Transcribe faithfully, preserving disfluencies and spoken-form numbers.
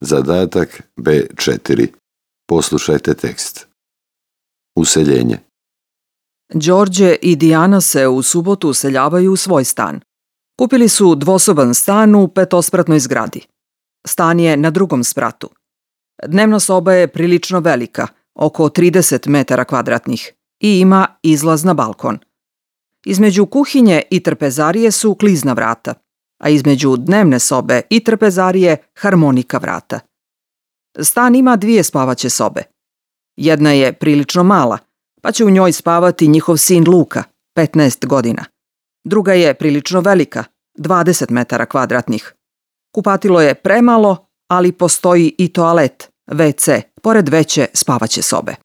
Zadatak B četiri. Poslušajte tekst. Useljenje. Đorđe i Dijana se u subotu useljavaju u svoj stan. Kupili su dvosoban stan u petospratnoj zgradi. Stan je na drugom spratu. Dnevna soba je prilično velika, oko trideset metara kvadratnih, i ima izlaz na balkon. Između kuhinje i trpezarije su klizna vrata, a između dnevne sobe i trpezarije harmonika vrata. Stan ima dvije spavaće sobe. Jedna je prilično mala, pa će u njoj spavati njihov sin Luka, petnaest godina. Druga je prilično velika, dvadeset metara kvadratnih. Kupatilo je premalo, ali postoji i toalet, ve ce, pored veće spavaće sobe.